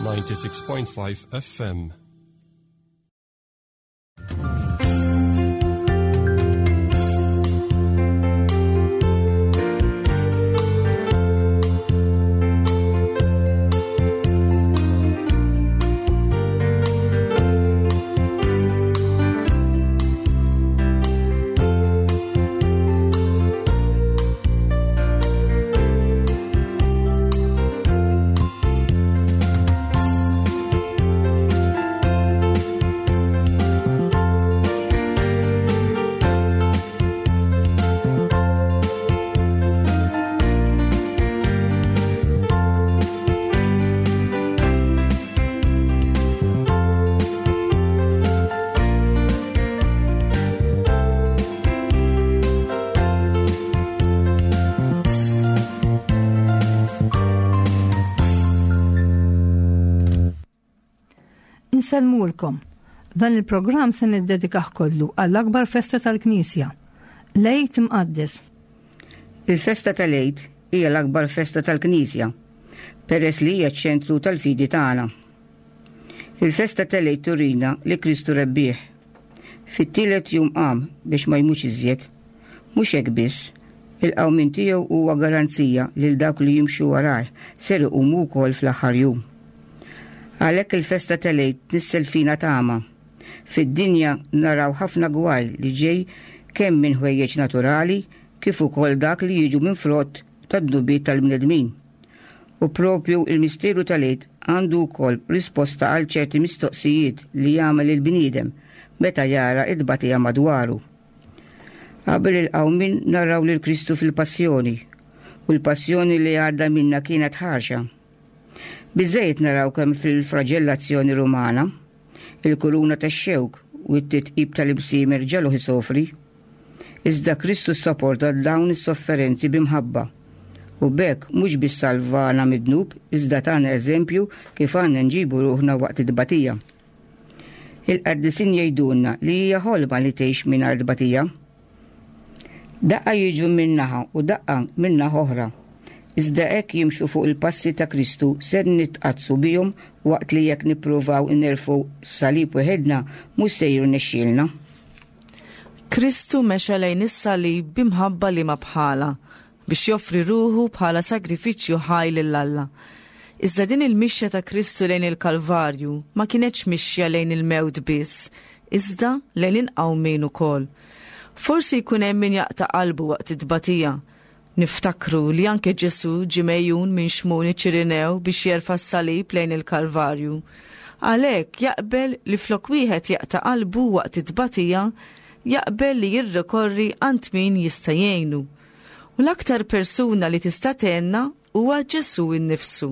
96.5 FM. Insellmulkom. Dan il-programm se niddedikah kollu għall-akbar festa tal-Knisja, l-Għid Imqaddes. Il-festa tal-Għid hija l-akbar festa tal-Knisja, peress li hija ċ-ċentru tal-fidi tagħna. Il-festa tal-Għid turina li Kristu rebbieħ. Fit-tielet jum qam biex ma jmutx iżjed. Mhux hekk biss, il-qawmien tiegħu huwa garanzija lil dawk li jimxu warajh ser iqumu wkoll fl-aħħar jum. Għalhekk il-festa tal-Għid tnissel fina tama. Fid-dinja naraw ħafna gwaj li ġej kemm minn ħwejjeġ naturali kif ukoll dak li jiġu minn frott tad-dnubiet tal-bnedmin. U propju il-misteru tal-Għid għandu wkoll risposta għal ċerti mistoqsijiet li jagħmel il-bniedem meta jara t-tbatija madwaru. Qabel il-qawmien naraw lil Kristu fil-passjoni, u l-passjoni li għadda minnha kienet ħarxa. Biżżejjed naraw kemm fil-fraġellazzjoni Rumana, il-kuruna tax-xewk u t-titqib tal-imsiemer ġagħluh isofri. Iżda Kristu ssaporta dawn is-sofferenzi bi mħabba, u b'hekk mhux biss salvana mid-dnub iżda tana eżempju kif għandna nġibu ruħna waqt it-tbatija. Il-qaddisin jgħidulna li hija ħolma li tgħix mingħajr tbatija. Daqqa jiġu minn naħa u daqqa minn naħa oħra. Iżda hekk jimxu fuq il-passi ta' Kristu ser nitqaddsu bihom waqt li jekk nippruvaw nerfgħu s-salib weħidna mhux se jirnexxielna. Kristu mexa lejn is-salib bi mħabba liema bħalha, biex joffri ruħu bħala sagrifiċċju ħaj lil Alla. Iżda din il-mixja ta' Kristu lejn il-Kalvarju ma kinetx mixja lejn il-mewt biss, iżda lejn il-qawmien ukoll. Forsi jkun hemm min jaqta' qalbu waqt it-tbatija, Niftakru li anke Ġesù ġie megħjun minn Xmun iċ-Ċirinew biex jerfa' s-salib lejn il-Kalvarju. Għalhekk jaqbel li flok wieħed jaqta' qalbu waqt it-tbatija, jaqbel li jirrikorri għand min jista' jgħinu. U l-aktar persuna li tista' tgħinna huwa Ġesù nnifsu.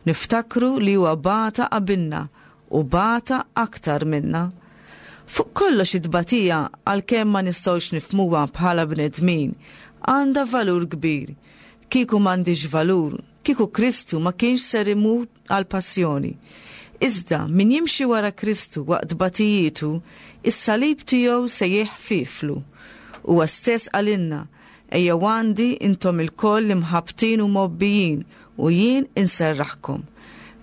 Niftakru li huwa bata qabilna u bata aktar minna. Fuq kollox it-tbatija, għalkemm ma nistgħux nifhmuha bħala bnedmin, għandha valur kbir. Kieku m'għandhiex valur, kieku Kristu ma kienx ser imut għall-passjoni. Iżda, min jimxi wara Kristu waqt tbatijietu, is-salib tiegħu se jeħfieflu. Huwa stess qalilna, Ejjew għandi intom ilkoll imħabbtin u mgħobbijin, u jien inserraħkom.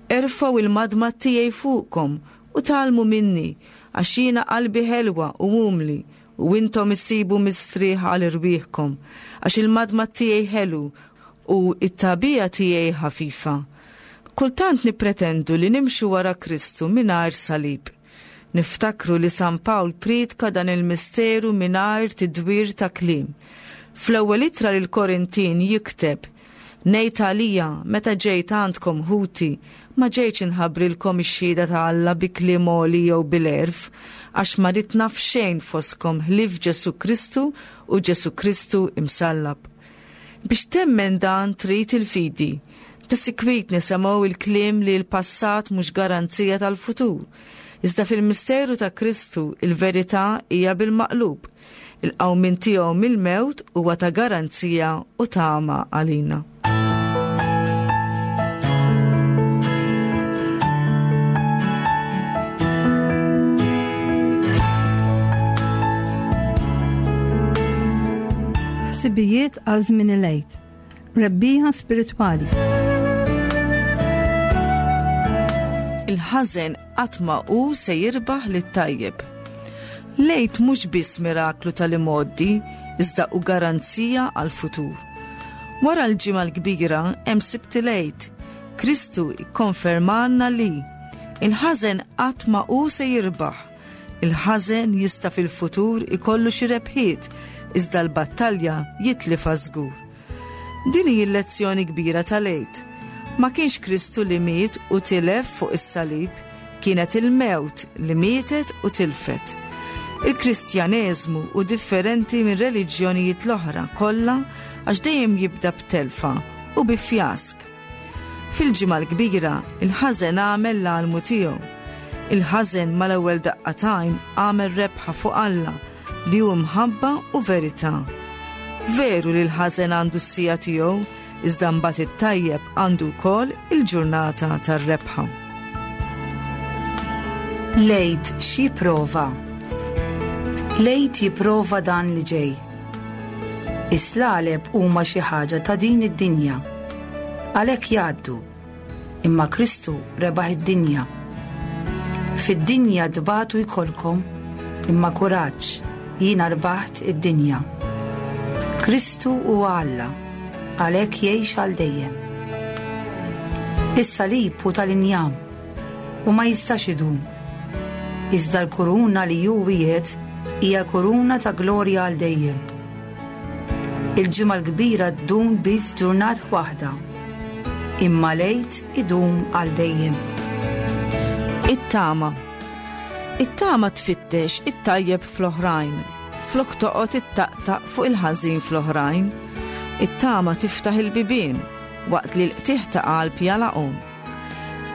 Erfgħu il-madmad tiegħi fuqkom u tgħallmu minni, għax jiena qalbi ħelwa u umli, u intom issibu mistrieħ għal irwieħkom, għax il-madmad tiegħi ħelu u t-tagħbija tiegħi ħafifa. Kultant nippretendu li nimxu wara Kristu mingħajr salib. Niftakru li San Pawl prietka dan il-misteru mingħajr tidwir ta' kliem. Fl-ewwel ittra lill-Korintin jikteb, Ngħid għalija, meta ġejt għandkom, ħuti, ma ġejtx inħabbrilkom ix-xhieda ta' Alla bi kliem għoli jew bil-għerf, għax ma ridt naf xejn fostkom ħlief Ġesù Kristu u Ġesù Kristu imsallab. Biex temmen dan trid il-fidi. Ta' sikwit nisemgħu il-kliem li l-passat mhux garanzija tal-futur. Iżda fil-misteru ta' Kristu il-verità hija bil-maqlub. Il-qawmien tiegħu mill-mewt huwa ta' garanzija u tama għalina. Ħsibijiet għal żmien il-Għid. Rebbieħa spiritwali. Il-ħażen qatt ma hu se jirbaħ lit-tajjeb. L-Għid mhux biss miraklu tal-imgħoddi iżda hu garanzija għall-futur. Wara l-Ġimgħa l-Kbira hemm Sibt il-Għid. Kristu kkonfermalna li il-ħażen qatt ma hu se jirbaħ. Il-ħażen jista' fil-futur ikollu xi rebħiet iżda l-battalja jitlifha żgur. Din hi l-lezzjoni kbira tal-Għid. Ma kienx Kristu li miet u tilef fuq is-salib, kienet il-mewt li mietet u tilfet. Il-Kristjaneżmu hu differenti minn reliġjonijiet l-oħra kollha għax dejjem jibda b'telfa u bi fjask. Fil-Ġimgħa l-Kbira, il-ħażen għamel l-almu tiegħu. Il-ħażen mal-ewwel daqqa t'għajn għamel rebħa fuq Alla li hu mħabba u verità. Veru li l-ħażen għandu s-sija tiegħu, iżda mbagħad it-tajjeb għandu wkoll il-ġurnata tar-rebħa. L-Għid x'jipprova? L-Għid jipprova dan li ġej. Is-slaleb huma xi ħaġa ta' din id-dinja. Għalhekk jgħaddu. Imma Kristu rebaħ id-dinja. Fid-dinja tbatu jkollkom, imma kuraġġ, jiena rbaħt id-dinja. Kristu huwa Alla, għalhekk jgħix għal dejjem. Is-salib hu tal-injam u ma jistax idum. Iżda l-kuruna li hu wiegħed hija kuruna ta' glorja għal dejjem. Il-Ġimgħa l-Kbira ddum biss ġurnata waħda, imma l-Għid idum għal dejjem. It-tama. It-tama tfittex it-tajjeb fl-oħrajn, flok toqgħod ittaqtaq fuq il-ħażin fl-oħrajn. It-tama tiftaħ il-bibien waqt li l-qtigħ ta' qalb jagħlaqhom.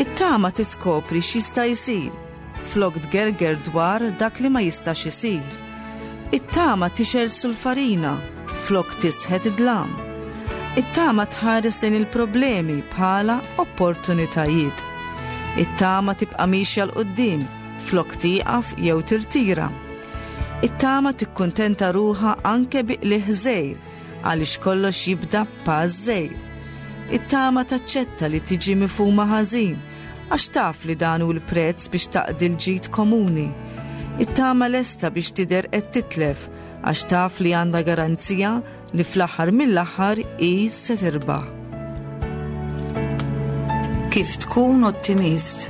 It-tama tiskopri x'jista' jsir flok tgerger dwar dak li ma jistax isir. It-tama tixgħel sulfarina flok tisħet id-dlam. It-tama tħares lejn il-problemi bħala opportunitajiet. It-tama tibqa' miexja 'l quddiem flok tieqaf jew tirtira. It-tama tikkuntenta ruħha anke bi qligħ żgħir għaliex kollox jibda b'pass żgħir. It-tama taċċetta li tiġi mifhuma ħażin Għax taf li dan hu l-prezz biex taqdi l-ġid komuni. It-tama lesta biex tidher qed titlef għax taf li għandha garanzija li fl-aħħar mill-aħħar hi se tirbaħ. Kif tkun ottimist?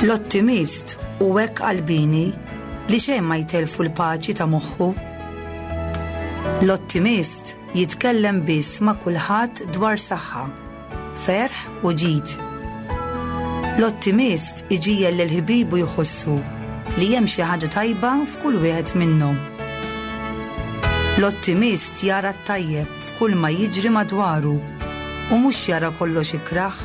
L-ottimist hu hekk qalbieni li xejn ma jtellfu l-paċi ta' moħħu. L-ottimist jitkellem biss ma' kulħadd dwar saħħa. ferħ u ġid. L-ottimist iġiegħel lil ħbiebu jħossu li hemm xi ħaġa tajba f'kull wieħed minnhom. L-ottimist jara t-tajjeb f'kull ma jiġri madwaru u mhux jara kollox ikrah.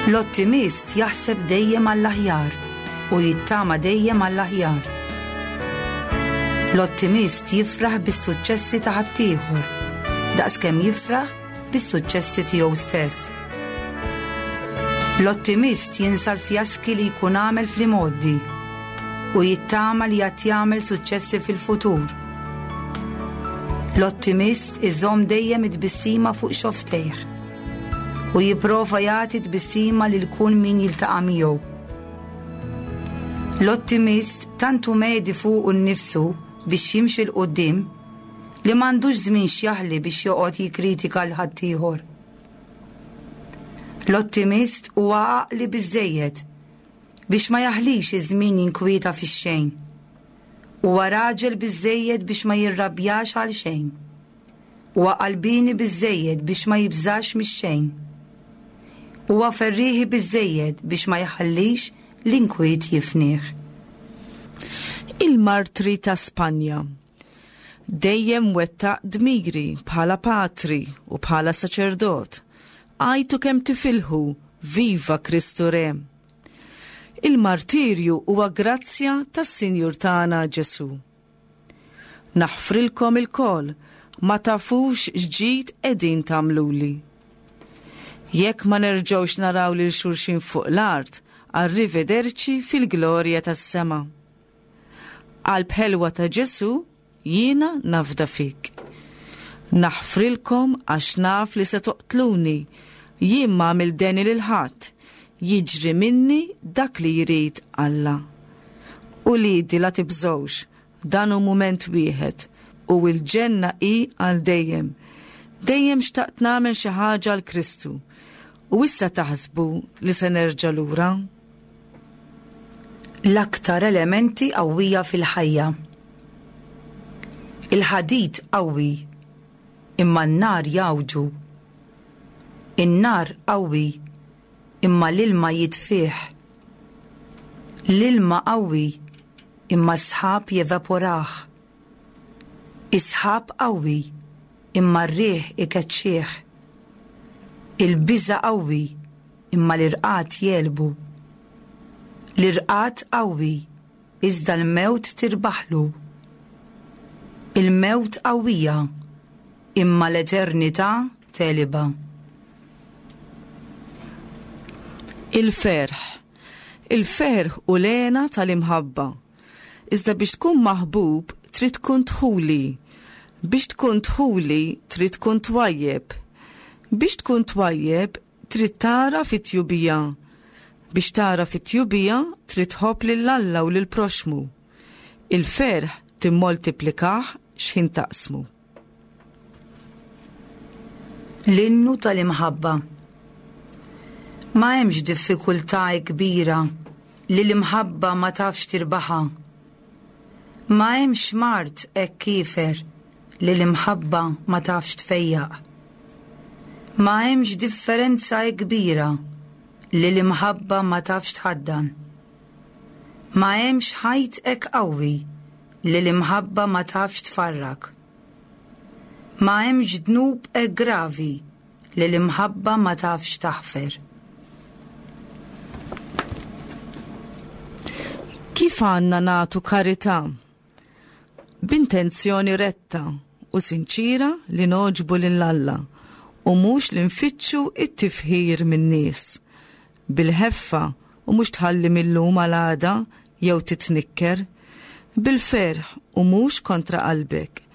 L-ottimist jaħseb dejjem għall-aħjar u jittama dejjem għall-aħjar. L-ottimist jifraħ bis-suċċessi ta' ħaddieħor, daqskemm jifraħ bis-suċċessi tiegħu stess. L-ottimist jinsa l-fjaski li jkun għamel fl-imgħoddi u jittama li għad jagħmel suċċessi fil-futur. L-ottimist iżomm dejjem it-tbissima fuq xofftejh u jipprova jagħti tbissima lil kull min jiltaqa' miegħu. L-ottimist tant hu medi fuqu nnifsu biex jimxi 'l quddiem li m'għandux żmien x'jaħli biex joqgħod jikkritika 'l ħaddieħor. L-ottimist huwa għaqli biżżejjed biex ma jaħlix iż-żmien jinkwieta fix-xejn. Huwa raġel biżżejjed biex ma jirrabjax għal xejn. Huwa qalbieni biżżejjed biex ma jibżax mix-xejn. Huwa ferrieħi biżżejjed biex ma jħallix l-inkwiet jifnih. Il-martri ta' Spanja. Dejjem wettaq dmiri bħala patri u bħala saċerdot. Għajtu kemm tifilħu, Viva Kristu Re! Il-martirju huwa grazzja tas-Sinjur tagħna Ġesù. Naħfrilkom ilkoll, ma tafux x'ġid qegħdin tagħmluli. Jekk ma nerġgħux naraw lil xulxin fuq l-art, arrivederci fil-glorja tas-sema. Qalb ħelwa ta' Ġesù, jiena nafda fik. Naħfrilkom għax naf li se toqtluni, jien m'għamilt deni lil ħadd. Jiġri minni dak li jrid Alla. Uliedi la tibżgħux, dan hu mument wieħed u l-ġenna hi għal dejjem. Dejjem xtaqt nagħmel xi ħaġa għal Kristu. U issa taħsbu li se nerġa' lura? L-aktar elementi qawwija fil-ħajja. Il-ħadid qawwi, imma n-nar jgħawġu. In-nar qawwi, imma l-ilma jitfih. L-ilma qawwi, imma s-sħab jevaporah. Is-sħab qawwi, imma r-riħ ikeċċih. Il-biża' qawwi, imma l-irqad jegħlbu. L-irqad qawwi, iżda l-mewt tirbaħlu. Il-mewt qawwija, imma l-eternità tegħlibha. Il-ferħ. Il-ferħ hu l-hena tal-imħabba. Iżda biex tkun maħbub trid tkun dħuli. Biex tkun dħuli trid tkun twajjeb. Biex tkun twajjeb trid tagħraf it-tjubija. Biex tagħraf it-tjubija trid tħobb lil Alla u lill-proxxmu. Il-ferħ timmoltiplikah x'ħin taqsmu. L-innu tal-imħabba. Ma hemmx diffikultà kbira li l-imħabba ma tafx tirbaħha. Ma hemmx mard hekk kiefer li l-imħabba ma tafx tfejjaq. Ma hemmx differenza hekk kbira li l-imħabba ma tafx tħaddan. Ma hemmx ħajt hekk qawwi li l-imħabba ma tafx tfarrak. Ma hemmx dnub hekk gravi li l-imħabba ma tafx taħfer. Kif għandna nagħtu karità? B'intenzjoni retta u sinċiera li nogħġbu lil Alla u mhux li nfittxu t-tifħir min-nies. Bil-ħeffa u mhux tħalli mil-lum għal għada jew titnikker. Bil-ferħ u mhux kontra qalbek.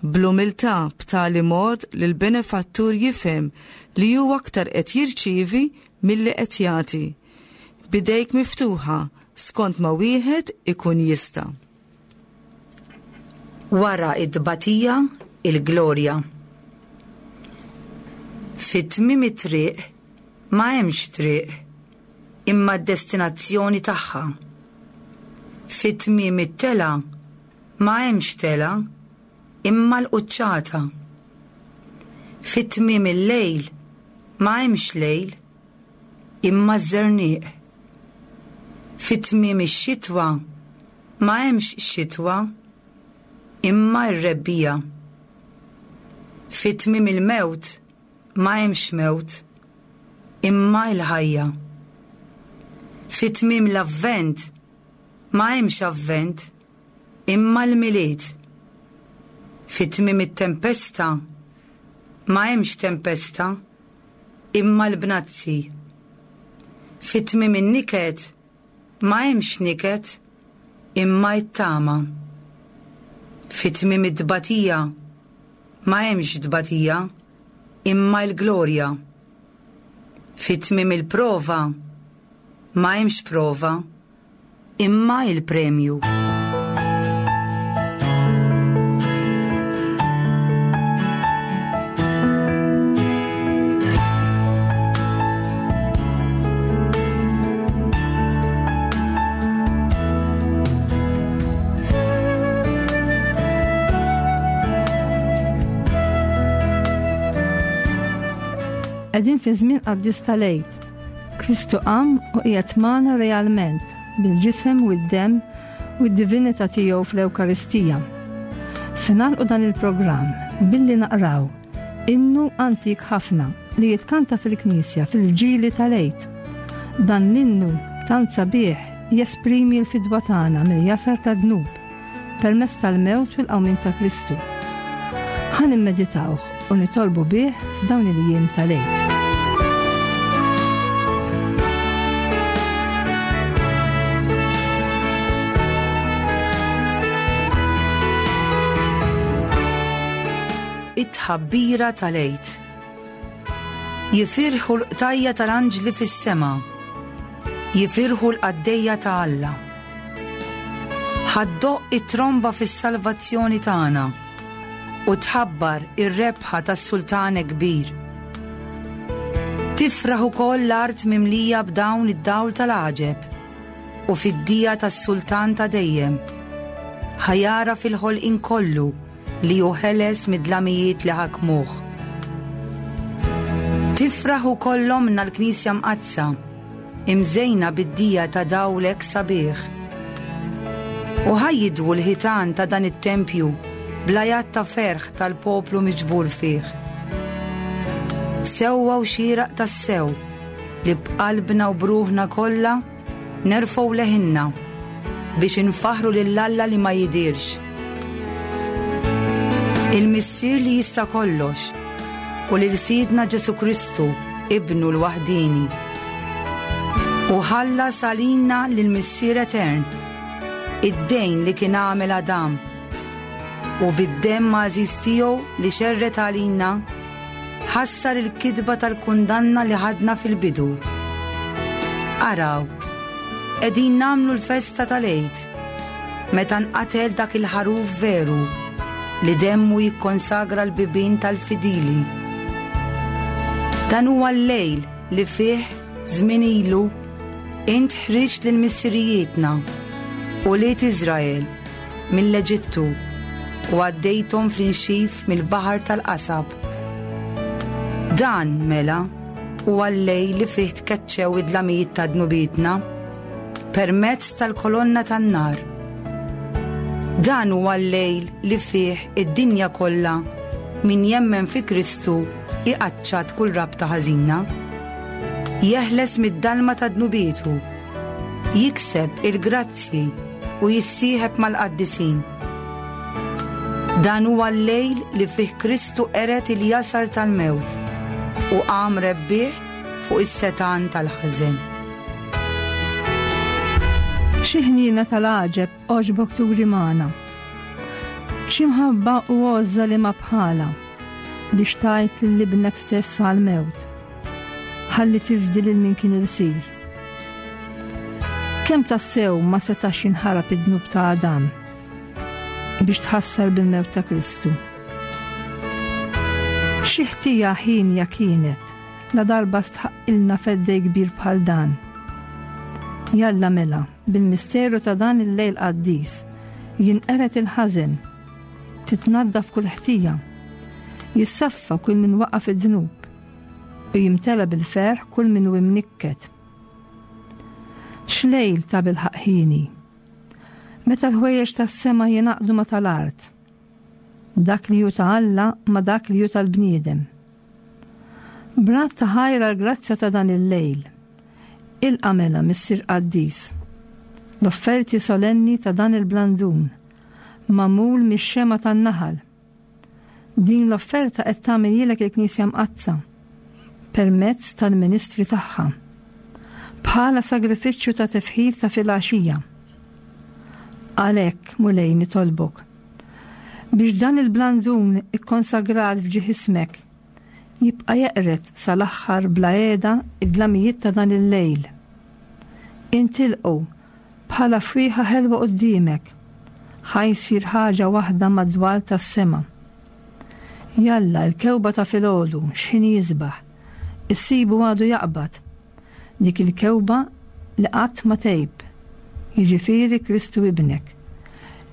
Bl-umiltà b'tali mod li l-benefattur jifhem li hu aktar qed jirċievi milli qed jagħti. B'idejk miftuħa skont ma wieħed ikun jista'. Wara t-tbatija, il-glorja. Fi tmiem it-triq ma hemmx triq, imma d-destinazzjoni tagħha. Fi tmiem it-telgħa ma hemmx telgħa, imma l-quċċata. Fi tmiem il-lejl ma hemmx lejl, imma ż-żerniq. Fi tmiem ix-xitwa ma hemmx xitwa, imma r-rebbiegħa. Fi tmiem il-mewt ma hemmx mewt, imma l-ħajja. Fi tmiem l-Avvent ma hemmx Avvent, imma l-Milied. Fi tmiem it-tempesta ma hemmx tempesta, imma l-bnazzi. Fi tmiem in-niket ma hemmx niket, imma t-tama. Fi tmiem it-tbatija ma hemmx tbatija, imma l-glorja. Fi tmiem il-prova ma hemmx prova, imma il-premju. Qegħdin fi żmien qaddis tal-Għid. Kristu qam u qiegħed magħna realment bil-ġisem u d-demm u d-divinità tiegħu fl-Ewkaristija. Se nagħlqu dan il-programm billi naqraw innu antik ħafna li jitkanta fil-Knisja fil-ġili tal-Għid. Dan l-innu tant sabiħ jesprimi l-fidwa tagħna mill-jasar tad-dnub permezz tal-mewt u l-qawmien ta' Kristu. Ħa nimmeditawh u nitolbu bih f'dawn il-jiem tal-Għid. It-tħabbira tal-Għid. Jifirħu l-qtajja tal-anġli fis-sema. Jifirħu l-qaddejja ta' Alla. Ħa ddoqq it-tromba fis-salvazzjoni tagħna u tħabbar ir-rebħa tas-Sultan kbir. Tifraħ ukoll l-art mimlija b'dawn id-dawl tal-għaġeb u fid-dija tas-Sultan ta' dejjem. Ħa jara fil-ħolqien kollu li hu ħeles mid-dlamijiet li ħakmuh. Tifraħ ukoll ommna l-Knisja Mqaddsa, imżejna bid-dija ta' dawlek sabiħ. U ħa jidwu l-ħitan ta' dan it-tempju bl-għajat ta' ferħ tal-poplu miġbur fih. Sewwa u xieraq tassew li b'qalbna u b'ruħna kollha Nerfgħu leħinna biex infaħħru lil Alla li ma jidhirx. Il-Missier li jista' kollox u lil Sidna Ġesù Kristu, Ibnu l-waħdieni. U ħallas għalina lill-Missier Etern id-dejn li kien għamel Adam u bid-demm għażiż tiegħu li xerred għalina Ħassar il-kitba tal-kundanna li ħadna fil-bidu. Araw, qegħdin nagħmlu l-festa tal-Għid, meta nqatel dak il-ħaruf veru li demmu jikkonsagra l-bibien tal-fidili. Dan huwa l-lejl li fih żmien ilu int ħriġt lil missirijietna, ulied Iżrael, mill-Eġittu u għaddejthom fl-inxif mill-baħar tal-qasab. Dan, mela, huwa l-lejl li fih tkeċċew id-dlamijiet ta' dnubietna permezz tal-kolonna tan-nar. Dan huwa l-lejl li fih id-dinja kollha min jemmen fi Kristu iqaċċat kull rabta ħażina. Jeħles mid-dalma ta' dnubietu, jikseb il-grazzji u jissieħeb mal-qaddisin. Dan huwa l-lejl li fih Kristu qered il-jasar tal-mewt u qam rebbieħ fuq is-setgħan tal-ħażen. Xi ħniena tal-għaġeb għoġbok turi magħna. Xi mħabba u għożża li ma bħala biex tajt lil ibnek stess għall-mewt. Ħalli tifdi lil min kien ilsir. Kemm tassew ma setax jinħarab id-dnub ta' Adam biex tħassar bil-mewt ta' Kristu. Xi ħtija ħinja kienet la darba stħaqqilna feddej kbir bħal dan. Jalla mela, bil-misteru ta' dan il-lejl qaddis, jinqered il-ħażen, titnaddaf kull ħtija, jissaffa kull min waqa' fid-dnub, u jimtela bil-ferħ kull min hu imnikket. X'lejl ta' bilħaqq ħieni! Meta l-ħwejjeġ tas-sema jingħaqdu ma' tal-art, dak li hu ta' Alla ma' dak li hu tal-bniedem. B'radd ta' ħajr għall-grazzja ta' dan il-lejl, ilqa' mela, Missier Qaddis, l-offerti solenni ta' dan il-blandun, magħmul mix-xemgħa tan-naħal, Din l-offerta qed tagħmilhielek il-Knisja Mqaddsa permezz tal-ministri tagħha bħala sagrifiċċju ta' tifħir ta' filgħaxija. Għalhekk, Mulej, nitolbok biex dan il-blandun ikkonsagrat f'ġieħ ismek jibqa' jeqred sal-aħħar bla qiegħda id-dlamijiet ta' dan il-lejl. Intilqu Bħala fwieħa ħelwa quddiemek, ħa jsir ħaġa waħda mad-dwal tas-sema. Jalla, l-kewba ta' filgħodu, x'ħin jisbaħ, issibu għadu jaqbad, dik il-kewba li qatt ma tgħib, jiġifieri Kristu Ibnek,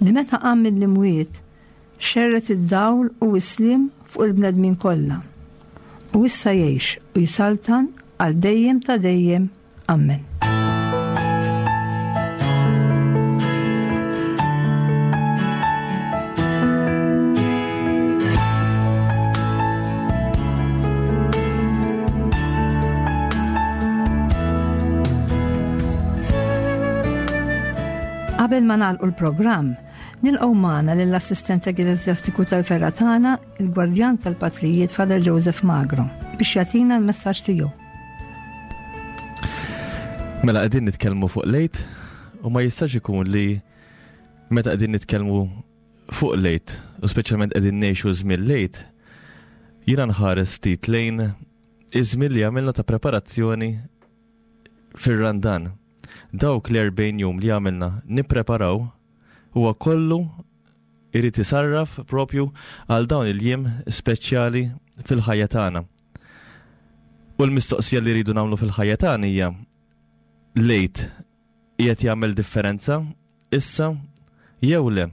li meta qam mill-imwiet, xerred id-dawl u s-sliem fuq il-bnedmin kollha. U issa jgħix u jsaltan għal dejjem ta' dejjem. Amen. Qabel ma nagħlqu l-programm, nilqgħu magħna lill-assistent ekkleżjastiku tal-ferra tagħna, il-Gwardjan tal-Patrijiet Father Joseph Magro, biex jagħtina l-messaġġ tiegħu. Mela qegħdin nitkellmu fuq lejt u ma jistax ikun li meta qegħdin nitkellmu fuq lejt u speċjalment qegħdin ngħixu żmien lejt, jiena nħares ftit lejn iż-żmien li għamilna ta' preparazzjoni fir-Randan. Dawk l-40 jum li għamilna nippreparaw huwa kollu irid isarraf propju għal dawn il-jiem speċjali fil-ħajja tagħna. U l-mistoqsija li rridu nagħmlu fil-ħajja tagħna hija lejt qiegħed jagħmel differenza issa jew le.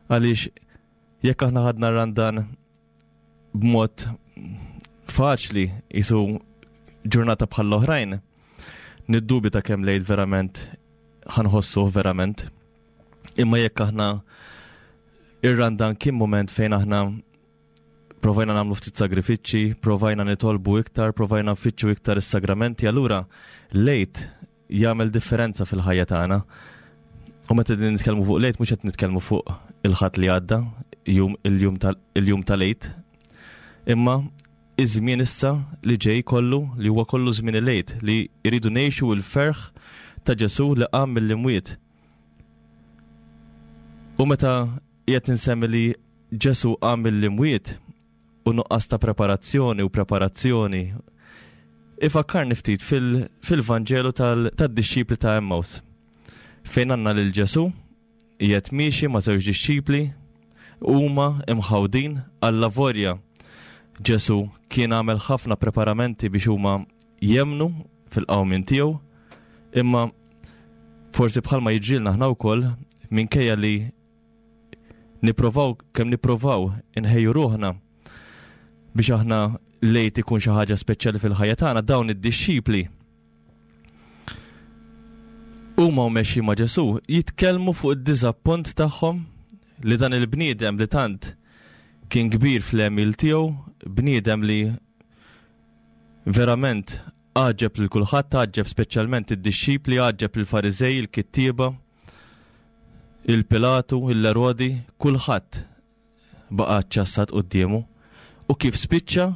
Għaliex jekk aħna ħadna randan b'mod faċli jisu ġurnata bħall-oħrajn, niddubita kemm lejt verament ħanħossuh verament. Imma jekk aħna ir-randan kien moment fejn aħna provajna nagħmlu ftit sagrifiċċji, provajna nitolbu iktar, provajna nfittxu iktar is-sagramenti, allura lejt jagħmel differenza fil-ħajja tagħna. U meta din nitkellmu fuq lejt mhux qed nitkellmu fuq il-ħadd li għadda, jum il-jum tal-jum tal-lejt. Imma iż-żmien issa li ġej kollu li huwa kollu żmien il-lejt li jridu ngħixu l-ferħ ta' Ġesù li qam mill-imwiet. U meta qiegħed insemmi li Ġesù qam mill-imwiet, u nuqqas ta' preparazzjoni u preparazzjoni ifakkarni ftit fil-Vanġelu tad-dixxipli ta' Emmaus. Fejn għandna lil Ġesù qiegħed miexi ma' żewġ dixxipli huma imħawdin għall-lavorja. Ġesù kien għamel ħafna preparamenti biex huma jemnu fil-qawmien tiegħu, imma forsi bħalma jiġrilna aħna wkoll minkejja li Nipprovaw kemm nipprovaw inħejju ruħna biex aħna lejt ikun xi ħaġa speċjali fil-ħajja tagħna dawn id-dixxipli huma u mexji ma' Ġesù jitkellmu fuq id-diżappunt tagħhom li dan il-bniedem li tant kien kbir fl-għemil tiegħu, bniedem li verament għaġeb lil kulħadd, għaġeb speċjalment id-dixxipli, għaġeb lill-Fariżej, il-kittieba, il-Pilatu, l-Erodi, kulħadd baqa' ċċassat quddiemu u kif spiċċa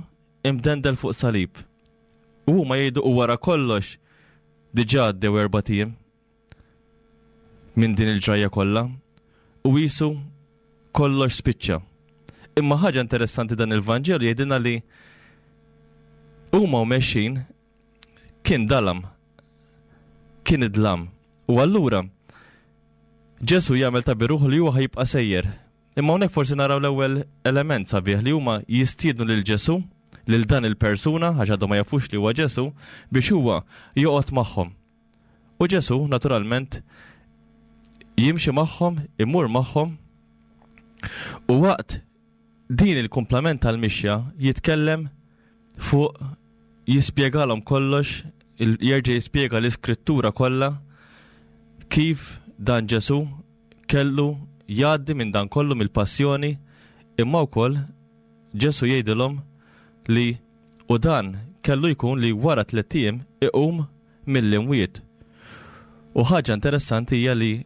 imdendel fuq salib. U huma jgħidu u wara kollox diġà għaddew erbat ijiem minn din il-ġrajja kollha u qisu kollox spiċċa. Imma ħaġa interessanti dan il-Vanġelu jgħidilna li huma u mexxin kien dalam, kien id-dlam. U allura Ġesu jagħmel ta' biruħ li huwa ħajibqa' sejjer. Imma hawnhekk forsi naraw l-ewwel element sabiħ li huma jistiednu lil Ġesu, lil dan il-persuna, għax għadhom ma jafux li huwa Ġesu, biex huwa joqgħod magħhom. U Ġesu, naturalment, jimxi magħhom, imur magħhom, u waqt din il-kumplament tal-mixja jitkellem fuq jispjegalhom kollox, jerġa' jispjega l-iskrittura kollha kif dan Ġesu kellu jgħaddi minn dan kollu mill-passjoni, imma wkoll Ġesu jgħidilhom li u dan kellu jkun li wara tlett ijiem iqum mill-imwiet. U ħaġa interessanti hija li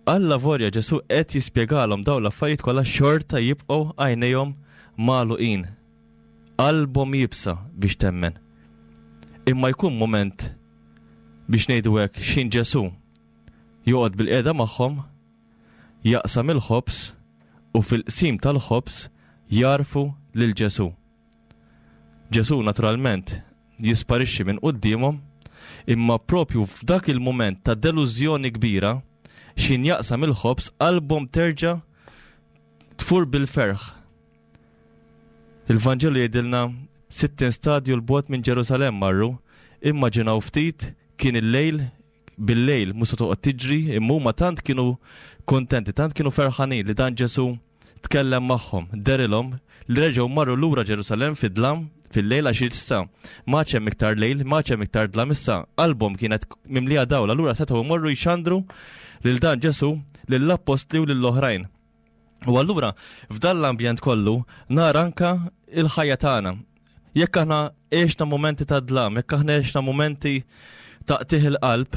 allavolja Ġesù qed jispjegalhom dawn l-affarijiet kollha xorta jibqgħu għajnejhom magħluqin. Qalbhom iebsa biex temmen. Imma jkun mument biex ngħidu hekk x'ħin Ġesù joqgħod bilqiegħda magħhom, jaqsam il-ħobż u fil-qsim tal-ħobż jagħrfu lil Ġesù. Ġesù naturalment jisparixxi minn quddiemhom, imma propju f'dak il-mument ta' delużjoni kbira, x'ħin jaqsam il-ħobż qalbhom terġa' tfur bil-ferħ. Il-Vanġelu jgħidilna 60 stadju l-bogħod minn Ġerusalemm marru, immaġinaw ftit kien il-lejl bil-lejl mhux se toqgħod tiġri, imma huma tant kienu kuntenti, tant kienu ferħanin li dan Ġesù tkellem magħhom, derilhom li reġgħu marru lura Ġerusalemm fid-dlam fil-lejl għax issa ma hemm iktar lejl, ma hemm iktar dlam issa qalbhom kienet mimlija dawl, allura setgħu jmorru jxandru lil dan Ġesù lill-appostli u lill-oħrajn. U allura f'dan l-ambjent kollu nara anka il-ħajja tagħna. Jekk aħna għexna momenti ta' dlam, jekk aħna għexna momenti ta' qtih il-qalb,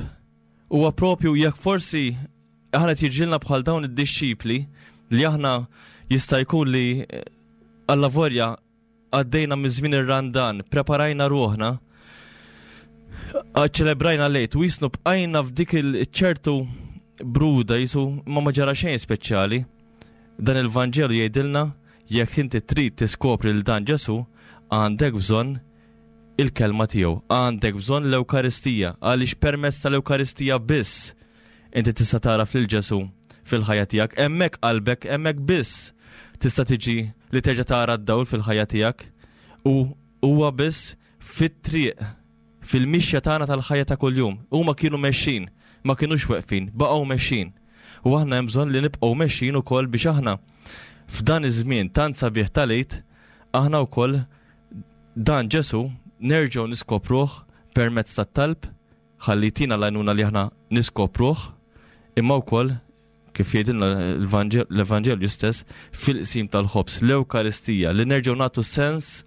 huwa propju jekk forsi aħna tiġilna bħal dawn id-dixxipli li aħna jista' jkun li eh, allavorja għaddejna minn żmien ir-Randan, preparajna ruħna, ċelebrajna lejt u jisnu bqajna f'dik il-ċertu bruda jisu ma ma ġara xejn speċjali. Dan il-Vanġelu jgħidilna jekk inti trid tiskopri l dan Ġesu, għandek bżonn il-kelma tiegħu, għandek bżonn l-Ewkaristija, għaliex permezz tal-Ewkaristija biss inti tista' tagħraf lil Ġesù fil-ħajja tiegħek, hemmhekk qalbek, hemmhekk biss tista' tiġi li terġa' tara d-dawl fil-ħajja tiegħek u huwa biss fit-triq fil-mixja tagħna tal-ħajja ta' kuljum. Huma kienu mexxin, ma kinux weqfin, baqgħu mexxin. U aħna hemm bżonn li nibqgħu mexxin ukoll biex aħna f'dan iż-żmien tant sabiħ tal-Għid aħna wkoll dan Ġesu nerġgħu niskopruh permezz tat-talb ħalli jtina l-għajnuna li aħna niskopruh imma wkoll kif jgħidilna l-Evanġelju stess fil-qsim tal-ħobż, l-Ewkaristija li nerġgħu nagħtu sens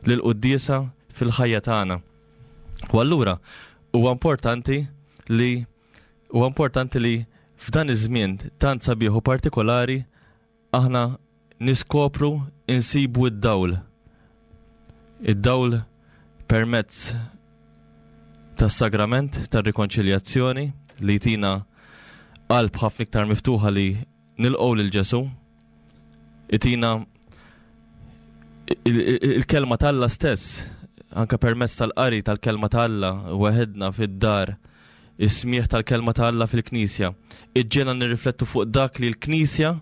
lill-quddiesa fil-ħajja tagħna. U allura huwa importanti li huwa importanti li f'dan iż-żmien tant sabiħ u partikolari aħna niskopru insibu id-dawl. Id-dawl permezz tas-sagrament tar-rikonċiljazzjoni li jtina qalb ħafna iktar miftuħa li nilqgħu lil Ġesù. Itina il-kelma t'Alla stess, anka permezz tal-qari tal-kelma t'Alla weħedna fid-dar, is-smieħ tal-kelma ta' Alla fil-Knisja, iġġena nirriflettu fuq dak li l-Knisja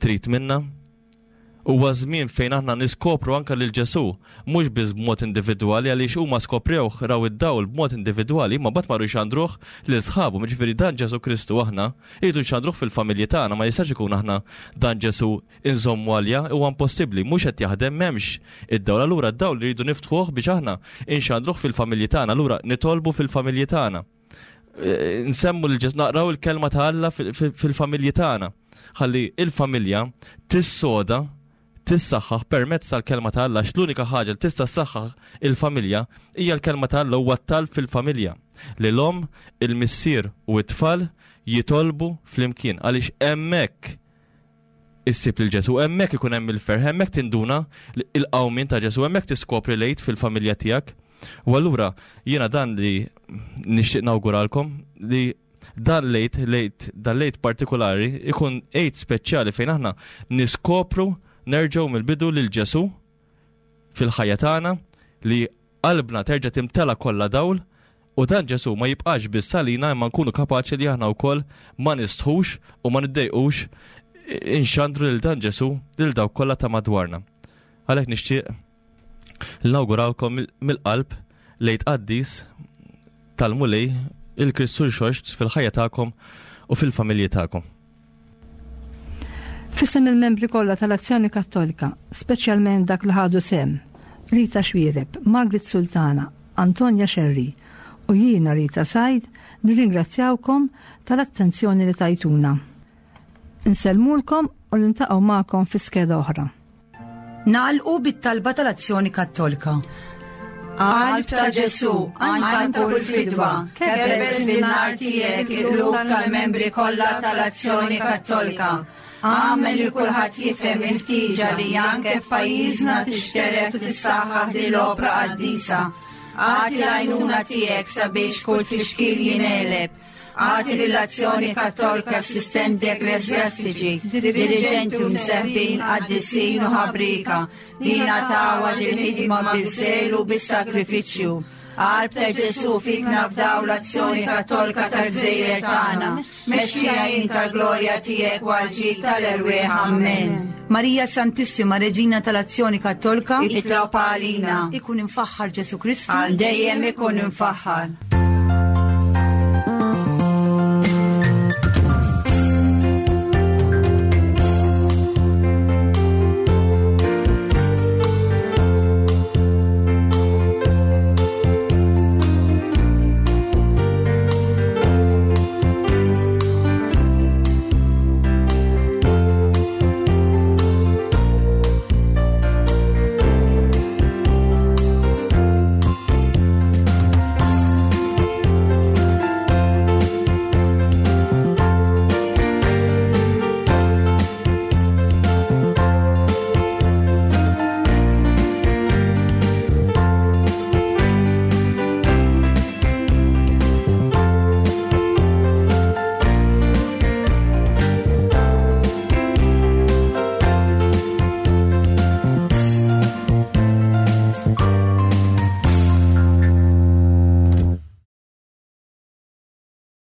trid minna. Huwa żmien fejn aħna niskopru anka lil Ġesù, mhux biss b'mod individwali għaliex huma skoprewh raw id-dawl b'mod individwali, imma mbagħad marru jxandruh lil sħabhom. Jiġifieri dan Ġesù Kristu aħna irridu nxandruh fil-familji tagħna, ma jistax ikun aħna dan Ġesù inżommu għalja, huwa impossibbli, mhux qed jaħdem, m'hemmx id-dawl. Allura d-dawl rridu niftħuh biex aħna inxandruh fil-familji tagħna, allura nitolbu fil-familji tagħna. Eh, nsemmu lil Ġesù, naqraw il-kelma ta' Alla fil-familji tagħna. Ħalli il-familja tissoda tissaħħaħ permezz tal-kelma ta' Alla, l-unika ħaġa li tista' ssaħħaħ il-familja hija l-kelma ta' Alla huwa t-talb fil-familja. Li l-omm, il-missier u t-tfal jitolbu flimkien għaliex hemmhekk issib lil Ġesù, hemmhekk ikun hemm il-ferħ, hemmhekk tinduna il-qawmien ta' Ġesù, hemmhekk tiskopri l-Għid fil-familja tiegħek. U allura jiena dan li nixtieq nawguralkom li dan l-Għid, l-Għid, dan l-Għid partikolari ikun Għid speċjali fejn aħna niskopru nerġgħu mill-bidu lil Ġesù fil-ħajja tagħna li qalbna terġa' timtela kollha dawl u dan Ġesù ma jibqax biss għalina imma nkunu kapaċi li aħna wkoll ma nistħux u ma niddejqux inxandru lil dan Ġesù lil dawk kollha ta' madwarna. Għalhekk nixtieq nawgurawkom mill-qalb lejt qaddis tal-Mulej il-Kristu Rxoxt fil-ħajja tagħkom u fil-familji tagħkom. F'isem il-membri kollha tal-Azzjoni Kattolika, speċjalment dak li ħadu sehem, Rita Xuereb, Margaret Sultana, Antonia Scerri u jiena Rita Said nirringrazzjawkom tal-attenzjoni li tajtuna. Insellmulkom u niltaqgħu magħkom fi skeda oħra. Nagħlqu bit-talba tal-Azzjoni Kattolika. Qalb ta' Ġesù, għan ta' kull fidwa, kebbes bin-nar tiegħek il-qlub tal-membri kollha tal-Azzjoni Kattolika. Agħmel li kulħadd jifhem il-ħtieġa li anke f'pajjiżna tixtered u tissaħħaħ din l-opra qaddisa. Agħti l-għajnuna tiegħek sabiex kull tfixkil jingħeleb. Agħti lill-Azzjoni Kattolika assistenti ekkleżjastiċi, diriġenti u mseħbin qaddisin u ħabrieka li jingħataw għal din il-ħidma biż-żelu u bis-sagrifiċċju. Qalb ta' Ġesù fik nafdaw l-Azzjoni Kattolika tal-gżejjer tagħna. Mexxija int għall-glorja tiegħek u għall-ġid tal-erwieħ. Ammen. Marija Santissima Reġina tal-Azzjoni Kattolka, Itlob għalina. Ikun imfaħħar Ġesù Kristu. Għal dejjem ikun imfaħħar.